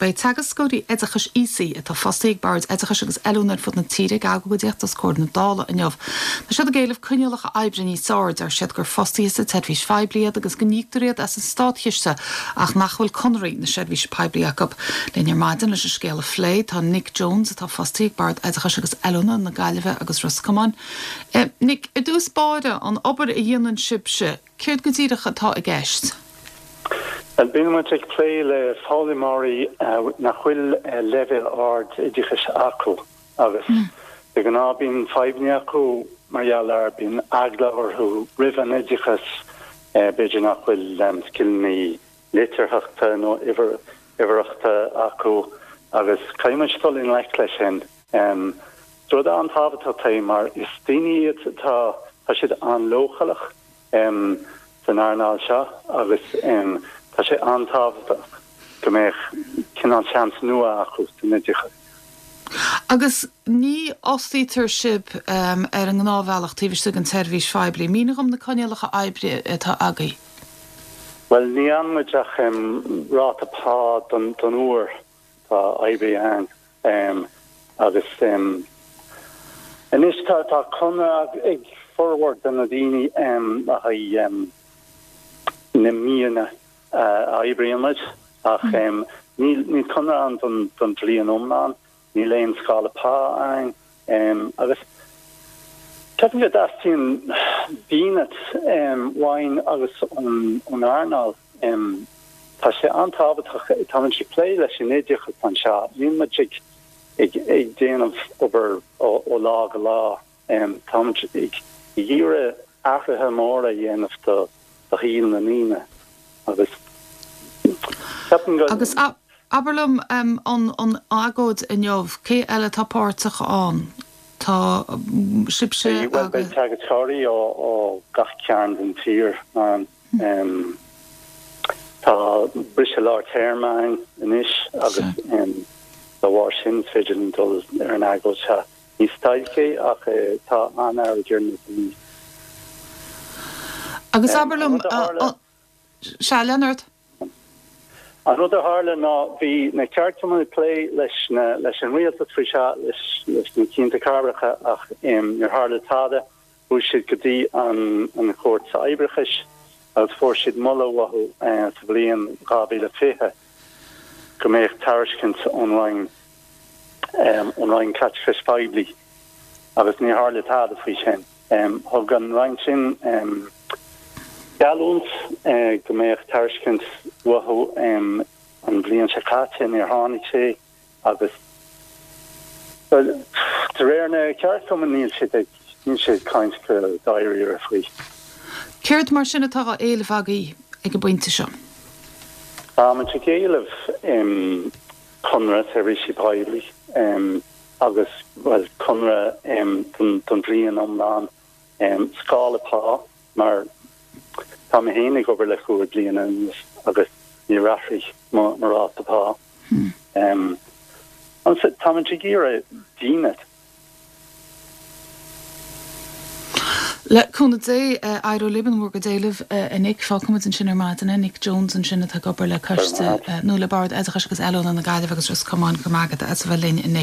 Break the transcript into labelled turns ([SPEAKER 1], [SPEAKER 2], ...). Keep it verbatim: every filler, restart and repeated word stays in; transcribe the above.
[SPEAKER 1] Beidh teagascóirí oideachais aosaigh atá fostaithe ag Boird Oideachais agus Oiliúna ar fud na tíre ag agóidíocht os comhair na Dála inniu. Tá siad ag éileamh coinníollacha oibre níos fearr, deir siad gur fostaithe sa tseirbhís phoiblí iad agus go n-íoctar iad as an státchiste ach nach bhfuil conarthaí na seirbhíse poiblí acu. Linn ar maidin leis an scéal a phlé tá Nick Jones atá fostaithe ag Bord Oideachais agus Oiliúna na Gaillimhe agus Ros Comáin. Eh, Nick, i dtús báire an obair a dhéanann sibhse, céard go díreach atá i gceist?
[SPEAKER 2] Bíonn muid ag plé le foghlaimeoirí nach bhfuil leibhéal ard oideachais acu agus de ghnáth bíonn fadhbanna acu mar gheall ar bíonn eagla orthu roimh an oideachas b'fhéidir nach bhfuil scileanna litearthachta nó uimhearthachta acu agus caithfidh muid dul i ngleic leis sin. Rud an-tábhachtach é mar is daoine iad tá tá siad an-leochaileach san earnáil seo agus tá sé an-tábhachtach go mbeadh cineál seans nua acu san oideachas.
[SPEAKER 1] Agus ní fhostaítear sibh um, ar an ngnáthbhealach taobh istigh den tseirbhís phoiblí, mínigh dom na coinníollacha oibre atá agaibh.
[SPEAKER 2] Well ní fhaigheann muid ach um, ráta pá don, don uair tá oibrí ann um, agus um, anois tá tá conradh ag formhór de na daoine um, le haghaidh um, na míonna uh, oibríonn muid ach um, níl ní conradh ann don don bhliain iomlán, níl aon scála pá ann um, agus ceapaim go dteastaíonn dínit um, uainn agus ón ón earnáil um, tá sé an-tábhachtach tá muid ag plé leis an oideachas anseo níl muid ag ag ag déanamh obair ó, ó lá go lá um, tá muid ag iarraidh athruithe móra a dhéanamh do do shaol na ndaoine agus ceapaim go
[SPEAKER 1] Agus abair liom um, an, an agóid inniu, cé eile atá páirteach ann? Tá um, sibhse
[SPEAKER 2] Well beidh
[SPEAKER 1] agus
[SPEAKER 2] teagascóirí ó ó gach cearn den tír ann um, tá briseadh lár téarma ann anois agus um, dá bharr sin is féidir linn dul ar an agóid seo. Ní stailc é ach eh, tá an-fhearg ar na daoine.
[SPEAKER 1] agus
[SPEAKER 2] Um,
[SPEAKER 1] abair liom
[SPEAKER 2] an rud a tharla-
[SPEAKER 1] Se Leonard?
[SPEAKER 2] An rud a tharla ná bhí na ceardchumainn ag plé leis na leis an rialtas faoi seo leis leis na cianta cabhracha ach um, níor tharla tada chuaigh siad go dtí an an chúirt oibreachais agus fuair siad moladh uathu uh, sa bhliain dhá mhíle fiche go mbeadh tairiscint ón Roinn um, ón Roinn Caiteachais Phoiblí agus ní tharla tada faoi sin. Um, thug an Roinn sin um, geallúint uh, go mbeadh tairiscint uathu um, an bhliain seo caite níor tháinig sé agus well, de réir na ceardchumann níl siad ag níl siad caint go dáiríre faoi.
[SPEAKER 1] Céard mar sin atá á éileamh agaibh ag an bpointe seo?
[SPEAKER 2] Tá muid ag éileamh um, conradh seirbhísí poiblí um, agus well conradh um, don, don bhliain iomlán um, scála pá mar tá mé féin ag obair le cúig bliana anuas agus níor athraigh mo mo ráta pá. Um, tá muid ag iarraidh dínit.
[SPEAKER 1] Le cúnamh Dé éireoidh libh in bhur gcuid éileamh a Nick fágfaimid ansin ar maidin Nick Jones ansin atá ag obair le coiste nó le Bord Oideachais agus Oiliúna na Gaillimhe agus Ros Comáin go maith as a bheith linn a Nick.